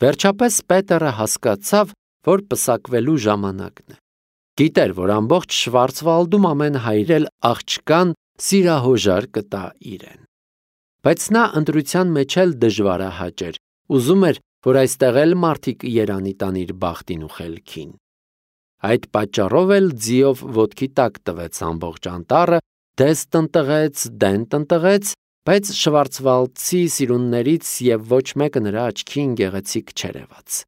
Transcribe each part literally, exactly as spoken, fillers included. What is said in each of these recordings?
Վերջապես Պետերը հասկացավ, որ պսակվելու ժամանակն է։ Գիտեր, որ ամբողջ Շվարցվալդում ամեն հայր էլ աղջկան սիրահոժար կտա իրեն։ Բայց նա ընտրության մեջ էլ դժվարահաճ էր, ուզում էր, որ այստեղ էլ մարդիկ երանի տան իր բախտին ու խելքին։ Այդ պատճառով էլ ձիով ոտքի տակ տվեց ամբողջ անտառը, դես տնտղեց, դեն տնտղեց, բայց Շվարցվալդցի սիրուններից և ոչ մեկը նրա աչքին գեղեցիկ չէր եղած։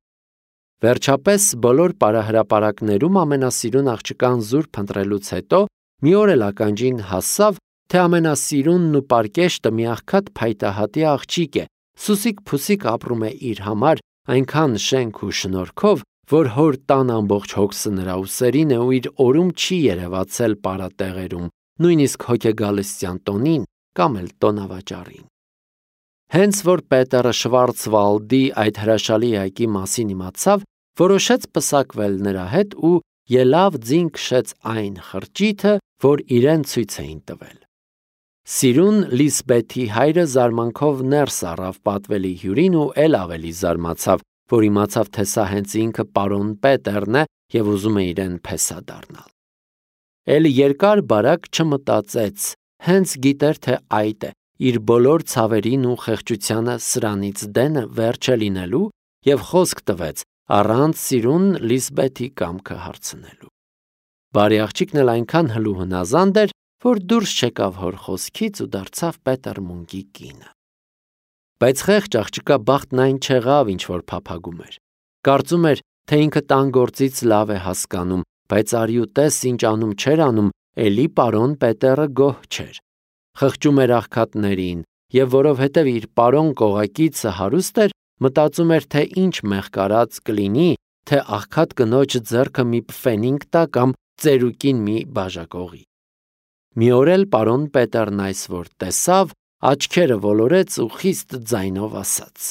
Վերջապես բոլոր պարահրապարակներում ամենասիրուն աղջկան զուրկ փնտրելուց հետո մի օր էլ ականջին հասավ, թե ամենասիրունն ու պարկեշտը մի աղքատ փայտահատի աղջիկ է, սուսիկ-փուսիկ ապրում է իր համար, այնքան շենք ու շնորհքով, որ հոր տան ամբողջ հոգսը նրա ուսերին է ու իր օրում չի երևացել պարատեղերում, նույնիսկ հոգեգալստյան տոնին կամ էլ տոնավաճառին։ Հենց որ Պետերը Շվարցվալդի այդ հրաշալի այգի մասին իմացավ, որոշեց պսակվել նրա հետ ու ելավ ձին քշեց այն խրճիթը, որ իրեն ցույց էին տվել։ Սիրուն Լիսբեթի հայրը զարմանքով ներս առավ պատվելի հյուրին ու էլ ավելի զարմացավ, որ իմացավ, թե սա հենց ինքը պարոն Պետերն է և ուզում է իրեն փեսա դառնալ։ Էլ երկար բարակ չմտածեց, հենց գիտեր, թե այդ է, իր բոլոր ցավերին ու խեղճությանը սրանից դենը վերջ է լինելու և խոսք տվեց, առանց սիրուն Լիսբեթի կամքը հարցնելու։ Բարի աղջիկն էլ այնքան հլու հնազանդ էր, որ դուրս չեկավ հոր խոսքից ու դարձավ Պետեր Մունկի կինը։ Բայց խեղճ աղջկա բախտն այն չեղավ, ինչ որ փափագում էր։ Կարծում էր, թե ինքը տան գործից լավ է հասկանում, բայց արի ու տես ինչ անում չէր անում, էլի պարոն Պետերը գոհ չէր։ Խղճում էր աղքատներին, և որովհետև իր պարոն կողակիցը հարուստ էր, մտածում էր, թե ինչ մեղկարած կլինի, թե աղքատ կնոջ ձեռքը մի պֆենինգ տա կամ ծերուկին մի բաժակողի։ Մի օր էլ պարոն Պետերն այս որ տեսավ, աչքերը ոլորեց ու խիստ ձայնով ասաց.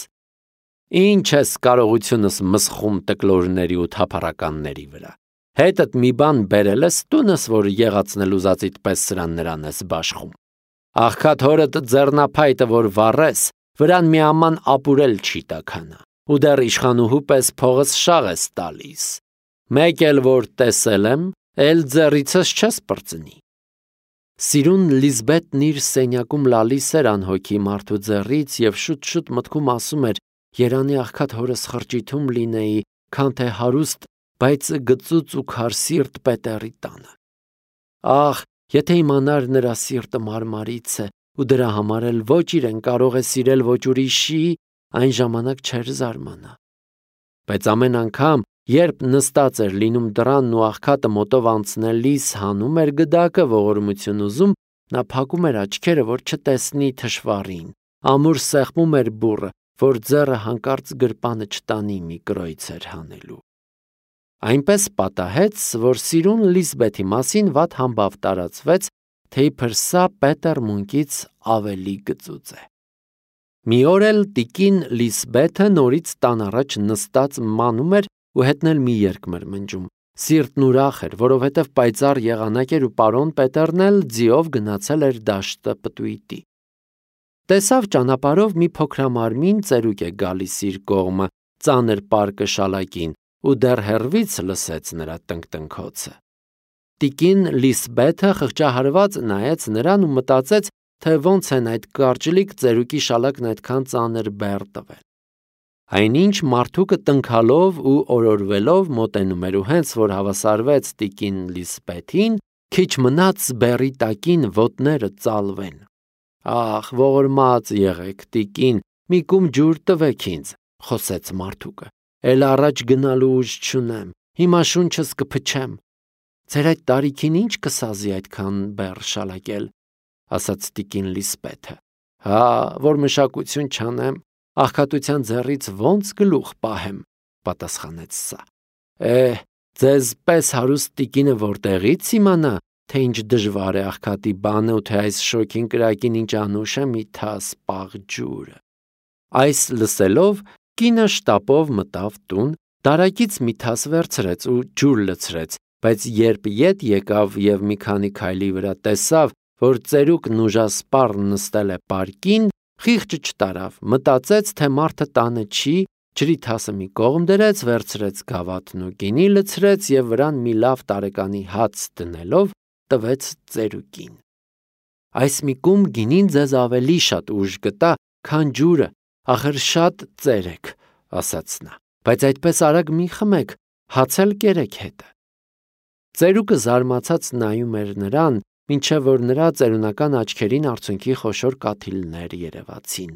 «Ինչ ես կարողությունս մսխում տկլորների ու թափառականների վրա։ Հետդ մի բան բերել ես տունս, որ եղացնել ուզածիդ պես սրան նրան ես բաշխում։ Աղքատ հորդ ձեռնափայտը, որ վառես, վրան մի աման ապուրել չի տաքանա, ու դեռ իշխանուհու պես փողս շաղ ես տալիս։ Մեկ էլ որ տեսել եմ, էլ ձեռիցս չես պրծնի»։ Սիրուն Լիզբետն իր սենյակում լալիս էր անհոգի մարդու ձեռից և շուտ-շուտ մտքում ասում էր. «Երանի աղքատ հորս խրճիթում լինեի, քան թե հարուստ, բայց գծուծ ու քար սիրտ Պետերի տանը։ Ահ, եթե իմանար նրա սիրտը մարմարից է, ու դրա համար էլ ոչ իրեն կարող է սիրել, ոչ ուրիշի, այն ժամանակ չէր զարմանա»։ Բայց ամեն անգամ, երբ նստած էր լինում դռանն ու աղքատը մոտով անցնելիս հանում էր գդակը ողորմություն ուզում, նա փակում էր աչքերը, որ չտեսնի թշվառին, ամուր սեղմում էր բուռը, որ ձեռը հանկարծ գրպանը չտանի մի կրոյցեր հանելու։ Այնպես պատահեց, որ սիրուն Լիզբեթի մասին վատ համբավ տարածվեց, թե իբր սա Պետեր Մունկից ավելի գծուծ է։ Մի օր էլ տիկին Լիսբեթը նորից տան առաջ նստած մանում էր ու հետն էլ մի երգ մրմնջում։ Սիրտն ուրախ էր, որովհետև պայծառ եղանակ էր ու պարոն Պետերն էլ ձիով գնացել էր դաշտը պտույտի։ Տեսավ ճանապարհով մի փոքրամարմին ծերուկ է գալիս իր կողմը, ծանր պարկը շալակին, ու դեռ հեռվից լսեց նրա տնկտնքոցը։ Տիկին Լիսբեթը խղճահարված նայեց նրան ու մտածեց, թե ոնց են այդ կարճլիկ ծերուկի շալակն այդքան ծանր բեռ տվել։ Այնինչ մարդուկը տնքալով ու օրորվելով մոտենում էր ու հենց որ հավասարվեց տիկին Լիսբեթին, քիչ մնաց բեռի տակին ոտները ծալվեն։ Ահ, ողորմած եղեք, տիկին, մի կում ջուր տվեք ինձ, խոսեց մարդուկը։ Էլ առաջ գնալու ուժ չունեմ, հիմա շունչս կփչեմ։ Ձեր այդ տարիքին ինչ կսազի այդքան բեռ շալակել, ասաց տիկին Լիսբեթը։ Հա, որ մշակություն չանեմ, աղքատության ձեռից ոնց գլուխ պահեմ, պատասխանեց սա։ Էհ, ձեզ պես հարուստ տիկինը որտեղից իմանա, թե ինչ դժվար է աղքատի բանը ու թե այս շոգին կրակին ինչ անուշ է մի թաս պաղ ջուրը։ Այս լսելով կինը շտապով մտավ տուն, դարակից մի թաս վերցրեց ու ջուր լցրեց, բայց երբ ետ եկավ և մի քանի քայլի վրա տեսավ, որ ծերուկն ուժասպառ նստել է պարկին, խիղճը չտարավ, մտածեց, թե մարդը տանը չի ջրի թասը մի կողմ դրեց, վերցրեց գավաթն ու գինի լցրեց եւ վրան մի լավ տարեկանի հաց դնելով տվեց ծերուկին։ Այս մի կում գինին ձեզ ավելի շատ ուժ կտա, քան ջուրը, ախր շատ ծեր եք, ասաց նա, բայց այդպես արագ մի խմեք, հաց էլ կերեք հետը։ Ծերուկը զարմացած նայում էր նրան, մինչև որ նրա ծերունական աչքերին արցունքի խոշոր կաթիլներ երևացին։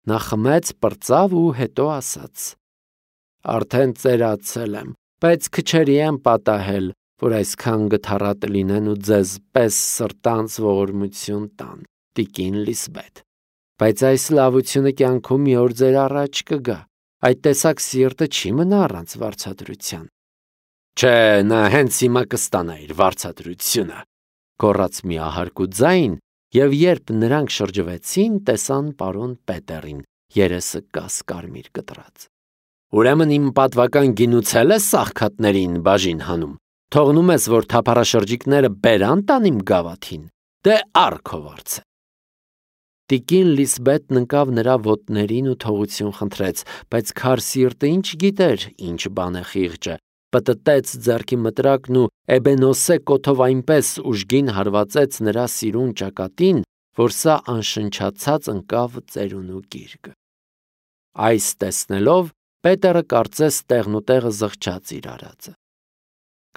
Նա խմեց, պրծավ ու հետո ասաց. Արդեն ծերացել եմ, բայց քչերի եմ պատահել, որ այսքան գթառատ լինեն ու ձեզ պես սրտանց ողորմություն տան, տիկին Լիսբեթ։ Բայց այս լավությունը կյանքում մի օր ձեր առաջ կգա, այդ տեսակ սիրտը չի մնա առանց վարձատրության։ Չէ, նա հենց հիմա կստանա իր վարձատրությունը, գոռաց մի ահարկու ձայն, և երբ նրանք շրջվեցին, տեսան պարոն Պետերին, երեսը կասկարմիր կտրած։ Ուրեմն իմ պատվական գինուցել ես սաղքատներին բաժին հանում, թողնում ես, որ թափառաշրջիկները բերան տան իմ գավաթին, դե առ քո վարձը։ Տիկին Լիսբեթն ընկավ նրա ոտներին ու թողություն խնդրեց, բայց քար սիրտը ինչ գիտեր, ինչ բան է խիղճը, պտտեց ձեռքի մտրակն ու էբենոսե կոթով այնպես ուժգին հարվածեց նրա սիրուն ճակատին, որ սա անշնչացած ընկավ ծերունու գիրկը։ Այս տեսնելով Պետերը կարծես տեղնուտեղը զղջաց իր արածը։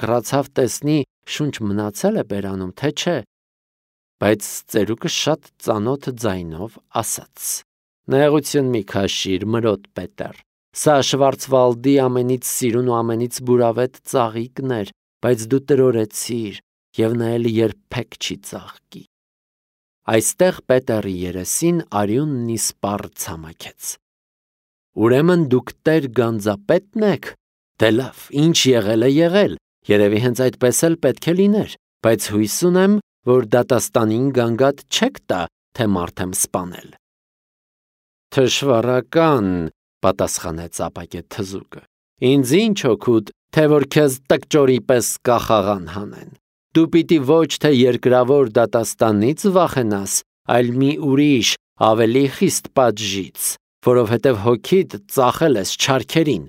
Կռացավ տեսնի շունչ մնացել է բերանում, թե չէ, բայց ծերուկը շատ ծանոթ ձայնով ասաց. Նեղություն մի քաշիր, մրոտ Պետեր, սա Շվարցվալդի ամենից սիրուն ու ամենից բուրավետ ծաղիկներ, բայց դու տրորեցիր, և նա էլ երբեք չի ծաղկի։ Այստեղ Պետերի երեսին արյունն իսպառ ցամաքեց։ Ուրեմն դուք տեր գանձապետն եք, դե լավ, ինչ եղել է եղել, երևի հենց այդպես էլ պետք է լիներ, բայց հույս ունեմ, որ դատաստանին գանգատ չեք տա, թե մարդ եմ սպանել։ Թշվառական, պատասխանեց ապակե թզուկը, ինձ ինչ օգուտ, թե որ քեզ տկճորի պես կախաղան հանեն։ Դու պիտի ոչ թե երկրավոր դատաստանից վախենաս, այլ մի ուրիշ, ավելի խիստ պատժից, որովհետև հոգիդ ծախել ես չարքերին։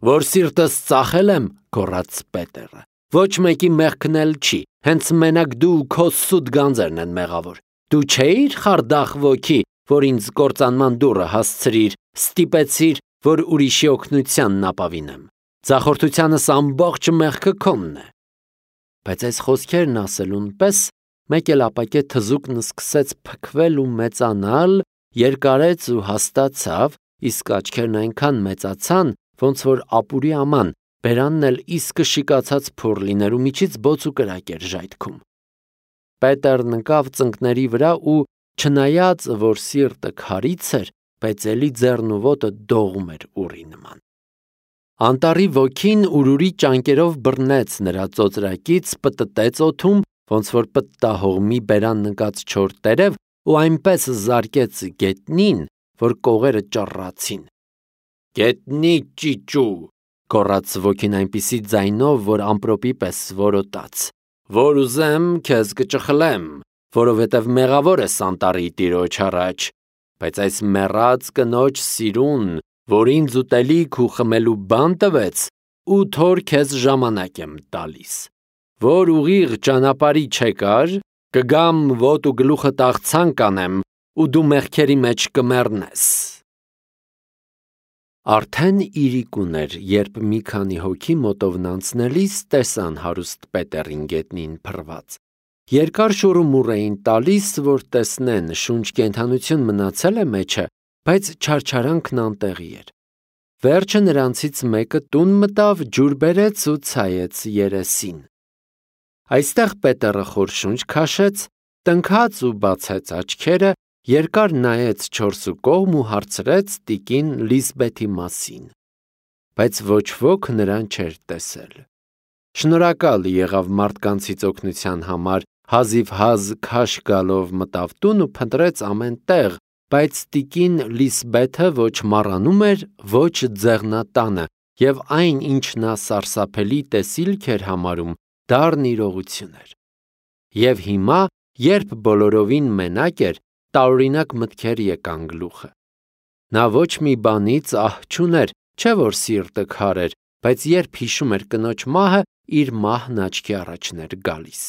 Որ սիրտս ծախել եմ, գոռաց Պետերը, ոչ մեկի մեղքն էլ չի, հենց մենակ դու քո սուտ գանձերն են մեղավոր։ Դու չէիր խարդախ ոգի, որ ինձ կործանման դուռը հասցրիր, ստիպեցիր, որ ուրիշի օգնությանն ապավինեմ։ Ձախորդությանս ամբողջ մեղքը քոնն է։ Բայց այս խոսքերն ասելուն պես մեկ էլ ապակե թզուկն սկսեց փքվել ու մեծանալ, երկարեց ու հաստացավ, իսկ աչքերն այնքան մեծացան, ոնց որ ապուրի աման, բերանն էլ իսկը շիկացած փոր լիներ ու միջից բոց ու կրակ էր ժայթքում։ Պետերն ընկավ ծնկների վրա ու չնայած, որ սիրտը քարից էր, բայց էլի ձեռն ու ոտը դողում էր ուռի նման։ Անտառի ոգին ուրուրի ճանկերով բռնեց նրա ծոծրակից, պտտեց օդում, ոնց որ պտտահողմի բերան նկած չոր տերև ու այնպես զարկեց գետնին, որ կողերը ճռռացին։ Գետնի ճիճու, գոռաց ոգին այնպիսի ձայնով, որ ամպրոպի պես որոտաց, որ ուզեմ քեզ կճխլեմ, որովհետև մեղավոր ես անտառի տիրոջ առաջ, բայց այս մեռած կնոջ սիրուն, որ ինձ ուտելիք ու խմելու բան տվեց, ութ օր քեզ ժամանակ եմ տալիս, որ ուղիղ ճանապարհի չեկար, կգամ ոտ ու գլուխը տաղցան կանեմ ու դու մեղքերի մեջ կմեռնես։ Արդեն իրիկուն էր, երբ մի քանի հոգի մոտովն անցնելիս տեսան հարուստ Պետերին գետնին փռված։ Երկար շուռումուռ էին տալիս, որ տեսնեն շունչ կենդանություն մնացել է մեջը, բայց չարչարանքն անտեղի էր։ Վերջը նրանցից մեկը տուն մտավ, ջուր բերեց ու ցայեց երեսին։ Այստեղ Պետերը խոր շունչ քաշեց, տնքաց ու բացեց աչքերը, երկար նայեց չորսու կողմ ու հարցրեց տիկին Լիսբեթի մասին, բայց ոչ ոք նրան չէր տեսել։ Շնորհակալ եղավ մարդկանցից օգնության համար, հազիվհազ քաշ գալով մտավ տուն ու փնտրեց ամեն տեղ, բայց տիկին Լիսբեթը ոչ մառանում էր, ոչ ձեղնատանը, և այն, ինչ նա սարսափելի տեսիլք էր համարում, դառն իրողություն էր։ Եվ հիմա, երբ բոլորովին մենակ էր, տարօրինակ մտքեր եկան գլուխը։ Նա ոչ մի բանից ահ չուներ, չէ որ սիրտը քար էր, բայց երբ հիշում էր կնոջ մահը, իր մահն աչքի առաջն էր գալիս։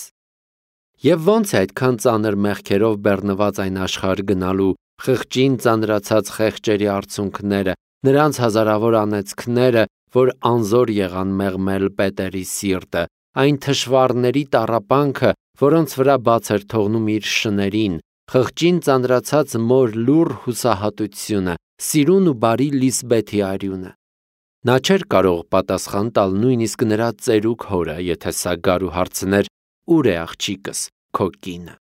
Եվ ոնց է այդքան ծանր մեղքերով բեռնված այն աշխարհ գնալու, խղճին ծանրացած խեղճերի արցունքները, նրանց հազարավոր անեծքները, որ անզոր եղան մեղմել Պետերի սիրտը, այն թշվառների տառապանքը, որոնց վրա բաց էր թողնում իր շներին, խղճին ծանրացած մոր լուռ հուսահատությունը, սիրուն ու բարի Լիսբեթի արյունը։ Նա չէր կարող պատասխան տալ նույնիսկ նրա ծերուկ հորը, եթե սա գար ու հարցներ. «Ուր է աղջիկս, քո կինը»։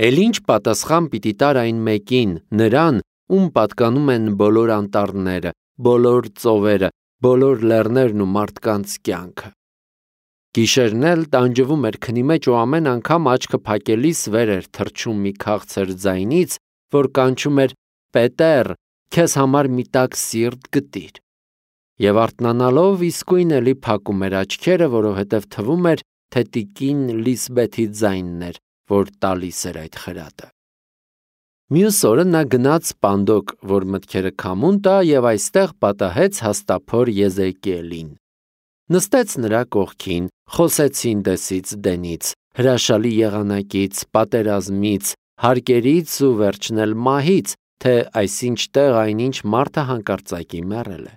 Էլ ինչ պատասխան պիտի տար այն մեկին, նրան, ում պատկանում են բոլոր անտառները, բոլոր ծովերը, բոլոր լեռներն ու մարդկանց կյանքը։ Գիշերն էլ տանջվում էր քնի մեջ ու ամեն անգամ աչքը փակելիս վեր էր թռչում մի քաղցր ձայնից, որ կանչում էր. «Պետեր, քեզ համար մի տաք սիրտ գտիր»։ Եվ արթնանալով իսկույն էլի փակում էր աչքերը, որովհետև թվում էր, թե տիկին Լիսբեթի ձայնն էր, որ տալիս էր այդ խրատը։ Մյուս օրը նա գնաց Պանդոկ, որ մտքերը քամուն տա, եւ այստեղ պատահեց հաստափոր Եզեկիելին։ Նստեց նրա կողքին, խոսեցին դեսից դենից, հրաշալի եղանակից, պատերազմից, հարկերից ու վերջն էլ մահից, թե այսինչ տեղ այնինչ մարդը հանկարծակի մեռել է։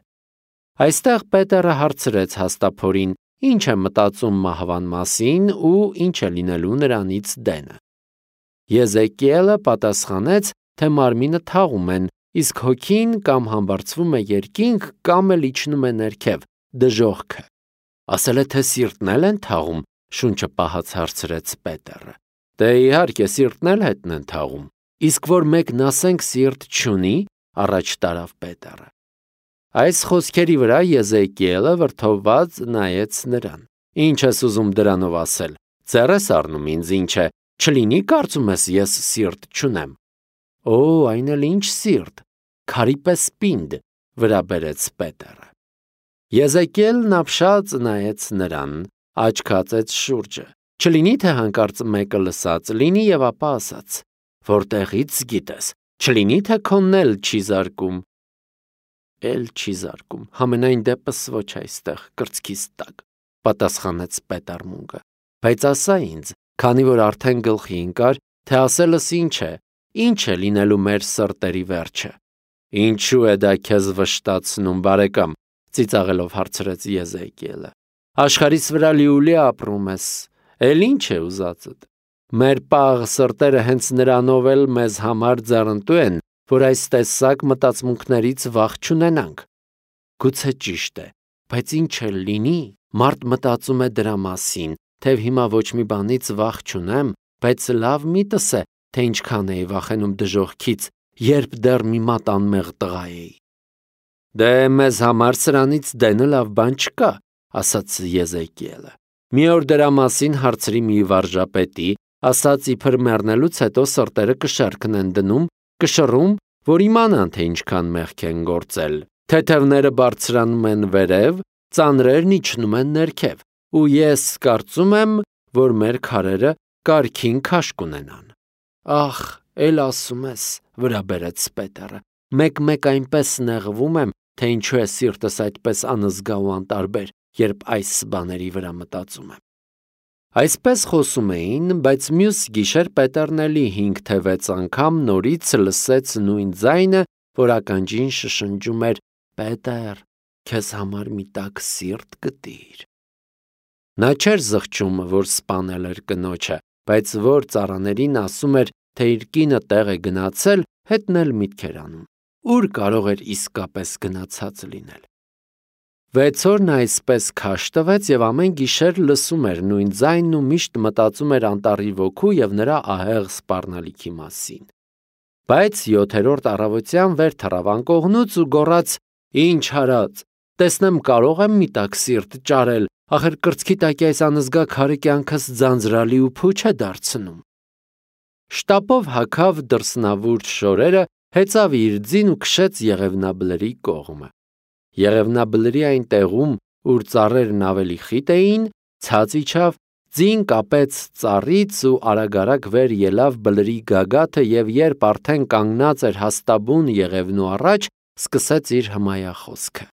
Այստեղ Պետերը հարցրեց հաստափորին, ինչ է մտածում մահվան մասին ու ինչ է լինելու նրանից դենը։ Եզեկիելը պատասխանեց, թե մարմինը թաղում են, իսկ հոգին կամ համբարձվում է երկինք, կամ էլ իջնում է ներքև, դժոխքը։ Ասել է, թե սիրտն էլ են թաղում, շունչը պահած հարցրեց Պետերը։ Դե իհարկե սիրտն էլ հետն են թաղում, իսկ որ մեկն ասենք սիրտ չունի, առաջ տարավ Պետերը։ Այս խոսքերի վրա Եզեկիելը վրդովված նայեց նրան։ Ինչ ես ուզում դրանով ասել, ձեռ ես առնում ինձ, ինչ է, չլինի կարծում ես ես սիրտ չունեմ։ Օ, այն էլ ինչ սիրտ, քարի պես պինդ, վրա բերեց Պետերը։ Եզեկիելն ապշած նայեց նրան, աչքացեց շուրջը, չլինի թե հանկարծ մեկը լսած լինի եւ ապա ասաց. որտեղից գիտես, չլինի թե քոնն էլ չի զարկում։ Էլ չի զարկում, համենայն դեպս ոչ այստեղ, կրծքիս տակ, պատասխանեց Պետարմունկը, բայց ասա ինձ, քանի որ արդեն գլխի ընկար, թե ասելս ինչ է, ինչ է լինելու մեր սրտերի վերջը։ Ինչու է դա քեզ վշտացնում, բարեկամ, ծիծաղելով հարցրեց Եզեկիելը։ Աշխարհիս վրա լիուլի ապրում ես, էլ ինչ է ուզածդ։ Մեր պաղ սրտերը հենց նրանով էլ մեզ համար ձեռնտու են, որ այս տեսակ մտածմունքներից վախ չունենանք։ Գուցե ճիշտ է, բայց ինչ էլ լինի, մարդ մտածում է դրա մասին, թե հիմա ոչ մի բանից վախ չունեմ, բայց լավ միտս է, թե ինչքան էի վախենում դժոխքից, երբ դեռ մի մատ անմեղ տղա էի։ Դե մեզ համար սրանից դենը լավ բան չկա, ասաց Եզեկիելը։ Մի օր դրա մասին հարցրի մի վարժապետի, ասաց իբր մեռնելուց հետո սրտերը կշարքն են դնում, կշռում, որ իմանան, թե ինչքան մեղք են գործել։ Թեթևները բարձրանում են վերև, ծանրերն իջնում են ներքև, ու ես կարծում եմ, որ մեր քարերը կարգին քաշ կունենան։ Ախ, էլ ասում ես, վրա բերեց Պետերը, մեկ-մեկ այնպես նեղվում եմ, թե ինչու է սիրտս այդպես անզգա ու անտարբեր, երբ այս բաների վրա մտածում եմ։ Այսպես խոսում էին, բայց մյուս գիշեր Պետերն էլի հինգ թե վեց անգամ նորից լսեց նույն ձայնը, որ ականջին շշնջում էր. Պետեր, քեզ համար մի տաք սիրտ գտիր։ Նա չէր զղջում, որ սպանել էր կնոջը, բայց որ ծառաներին ասում էր, թե իր կինը տեղ է գնացել, հետն էլ միտք էր անում։ Ուր կարող էր իսկապես գնացած լինել։ Վեց օր նա այսպես քաշ տվեց եւ ամեն գիշեր լսում էր նույն ձայնն ու միշտ մտածում էր անտառի ոգու եւ նրա ահեղ սպառնալիքի մասին։ Բայց յոթերորդ առավոտյան վեր թռավ անկողնուց ու գոռաց. Ինչ հարած, տեսնեմ կարող եմ մի տաք սիրտ ճարել, ախր կրծքի տակի այս անզգա քարը կյանքս ձանձրալի ու փուչ է դարձնում։ Շտապով հագավ դրսնավուրց շորերը, հեծավ իր ձին ու քշեց Եղևնաբլրի կողմը։ Եղևնաբլրի այն տեղում, ուր ծառերն ավելի խիտ էին, ցած իջավ, Ձին կապեց ծառից ու արագ-արագ վեր ելավ բլրի գագաթը և երբ արդեն կանգնած էր հաստաբուն եղևնու առաջ, սկսեց իր հմայախոսքը.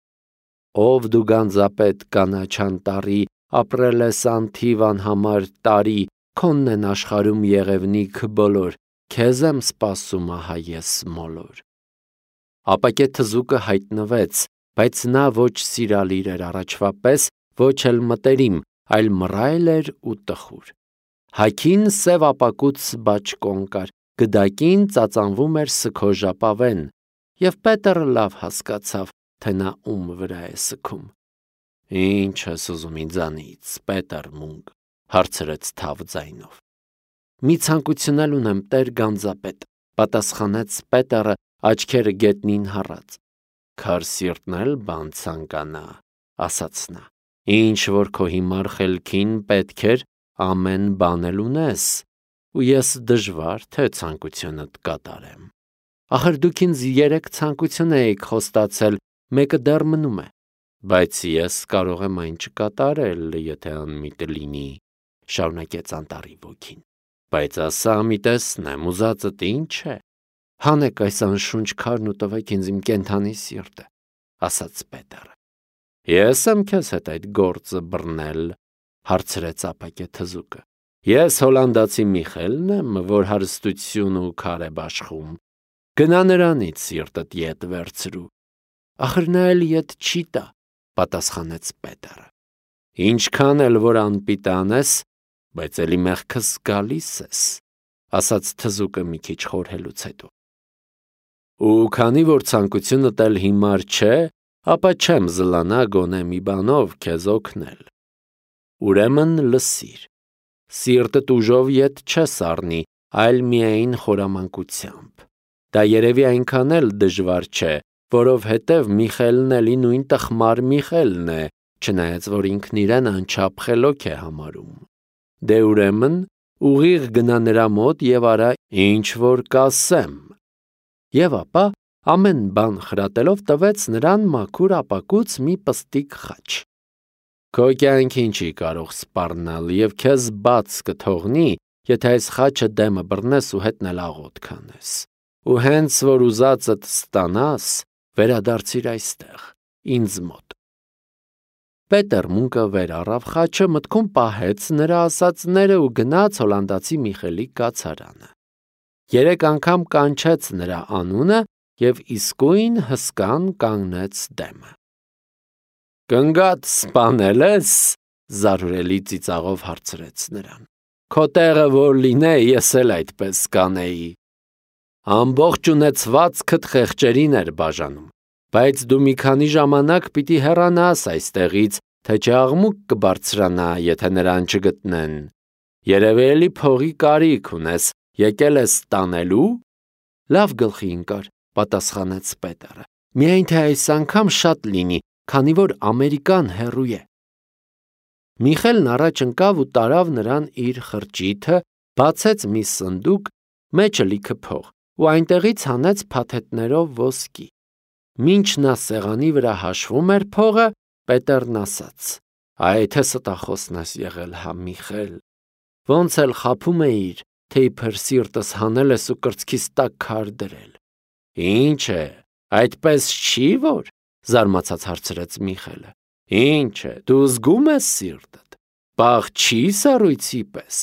«Ով դու գանձապետ կանաչան տարի, ապրել ես անթիվ անհամար տարի, քոնն են աշխարհում եղևնիք բոլոր, քեզ եմ սպասում ահա ես մոլոր»։ Ապակե թզուկը հայտնվեց, բայց նա ոչ սիրալիր էր առաջվա պես, ոչ էլ մտերիմ, այլ մռայլ էր ու տխուր։ Հագին սև ապակուց բաճկոն կար, գդակին ծածանվում էր սքոժապավեն, և Պետերը լավ հասկացավ, թե նա ում վրա է սգում։ «Ինչ ես ուզում ինձանից, Պետեր Մունկ», հարցրեց թավ ձայնով։ «Մի ցանկություն ունեմ, տեր գանձապետ», պատասխանեց Պետերը, աչքերը գետնին հառած։ «Քար սիրտն էլ բան ցանկանա», ասաց նա։ «Ինչ որ քո հիմար խելքին պետք էր, ամեն բան էլ ունես, ու ես դժվար թե ցանկությունդ կատարեմ։ Ախր դուք ինձ երեք ցանկություն էիք խոստացել, մեկը դեռ մնում է»։ «Բայց ես կարող եմ այն չկատարել, եթե անմիտ լինի», շարունակեց անտառի ոգին։ «Բայց ասա մի տեսնեմ, ուզածդ ինչ է։ Հանեք այս անշունչ քարն ու տվեք ինձ իմ կենդանի սիրտը», ասաց Պետերը։ «Ես եմ քեզ հետ այդ գործը բռնել», հարցրեց ապակե թզուկը։ «Ես հոլանդացի Միխելն եմ, որ հարստություն ու քար է բաշխում։ Գնա նրանից սիրտդ ետ վերցրու»։ «Ախր նա էլ ետ չի տա», պատասխանեց Պետերը։ «Ինչքան էլ որ անպիտան ես, բայց էլի մեղքս գալիս ես», ասաց թզուկը մի քիչ խորհելուց հետո։ «Ու քանի որ ցանկությունդ էլ հիմար չէ, ապա չեմ զլանա գոնե մի բանով քեզ օգնել։ Ուրեմն լսիր, սիրտդ ուժով ետ չես առնի, այլ միայն խորամանկությամբ։ Դա երևի այնքան էլ դժվար չէ, որովհետև Միխելն էլի նույն տխմար Միխելն է, չնայած որ ինքն իրեն անչափ խելոք է համարում։ Դե ուրեմն ուղիղ գնա նրա մոտ և արա ինչ որ կասեմ»։ Եվ ապա ամեն բան խրատելով տվեց նրան մաքուր ապակուց մի պստիկ խաչ։ «Քո կյանքին չի կարող սպառնալ և քեզ բաց կթողնի, եթե այս խաչը դեմը բռնես ու հետն էլ աղոթք անես։ Ու հենց որ ուզածդ ստանաս, վերադարձիր այստեղ, ինձ մոտ»։ Պետեր Մունկը վեր առավ խաչը, մտքում պահեց նրա ասածները ու գնաց հոլանդացի Միխելի կացարանը։ Երեք անգամ կանչեց նրա անունը և իսկույն հսկան կանգնեց դեմը։ «Կնգադ սպանել ես», զարհուրելի ծիծաղով հարցրեց նրան։ «Քո տեղը որ լինեի, ես էլ այդպես կանեի։ Ամբողջ ունեցվածքդ խեղճերին էր բաժանում, բայց դու մի քանի ժամանակ պիտի հեռանաս այստեղից, թե չէ աղմուկ կբարձրանա, եթե նրան չգտնեն։ Երևի էլի փողի կարիք ունես, եկել ես տանելու»։ «Լավ գլխի ընկար», պատասխանեց Պետերը։ «Միայն թե այս անգամ շատ լինի, քանի որ Ամերիկան հեռու է»։ Միխելն առաջ ընկավ ու տարավ նրան իր խրճիթը, բացեց մի սնդուկ, մեջը լիքը փող, ու այնտեղից հանեց փաթեթներով ոսկի։ Մինչ նա սեղանի վրա հաշվում էր փողը, Պետերն ասաց. «Այ թե ստախոսն ես եղել, հա Միխել, ոնց էլ խաբում էիր, թե իբր սիրտս հանել ես ու կրծքիս տակ քար դրել»։ «Ինչ է, այդպես չի որ», զարմացած հարցրեց Միխելը։ «Ինչ է, դու զգում ես սիրտդ, պաղ չի սառույցի պես,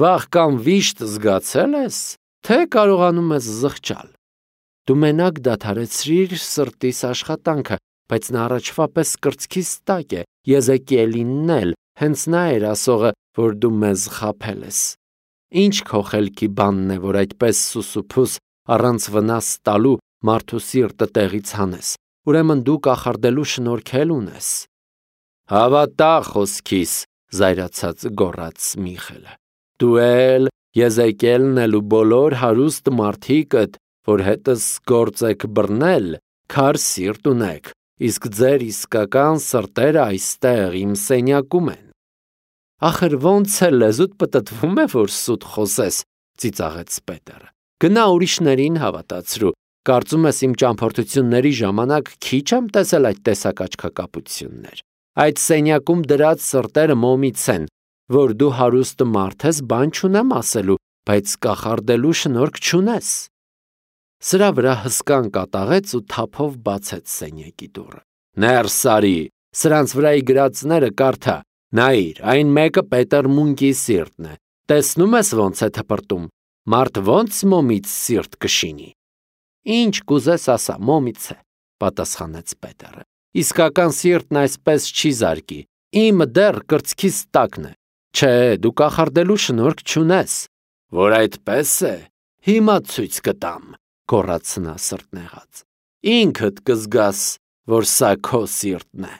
վախ կամ վիշտ զգացել ես, թե կարողանում ես զղջալ։ Դու մենակ դադարեցրիր սրտիս աշխատանքը, բայց նա առաջվա պես կրծքիս տակ է, Եզեկիելինն էլ, հենց նա էր ասողը, որ դու մեզ խաբել ես։ Ինչ քո խելքի բանն է, որ այդպես սուսուփուս առանց վնաս տալու մարդու սիրտը տեղից հանես։ Ուրեմն դու կախարդելու շնորհք ունես»։ «Հավատա խոսքիս», զայրացած գոռաց Միխելը։ «Դու էլ, Եզեկիելն էլ ու բոլոր հարուստ մարդիկդ, որ հետս գործ եք բռնել, քար սիրտ ունեք, իսկ ձեր իսկական սրտերը այստեղ իմ սենյակում են»։ «Ախր ոնց է լեզուդ պտտվում է, որ սուտ խոսես», ծիծաղեց Պետերը։ «Գնա ուրիշներին հավատացրու, կարծում ես իմ ճամփորդությունների ժամանակ քիչ եմ տեսել այդ տեսակ աչքակապություններ։ Այդ սենյակում դրած սրտերը մոմից են, որ դու հարուստ մարդ ես, բան չունեմ ասելու, բայց կախարդելու շնորհք չունես։ Սրա վրա հսկան կատաղեց ու թափով բացեց սենյակի դուռը։ Ներս արի, սրանց վրայի գրածները կարդա, նայիր, այն մեկը Պետր Մունկի սիրտն է, տեսնում ես ոնց է թպրտում, մարդ ոնց մոմից սիրտ կշինի։ Ինչ կուզես ասա, մոմից է, պատասխանեց Պետերը։ Իսկական սիրտն այսպես չի զարկի, իմը դեռ կրծքիս տակն է։ Չէ, դու կախարդելու շնորհք չունես։ Որ այդպես է, հիմա ցույց կտամ, գոռաց նա սրտնեղած։ Ինքդ կզգաս, որ սա քո սիրտն է։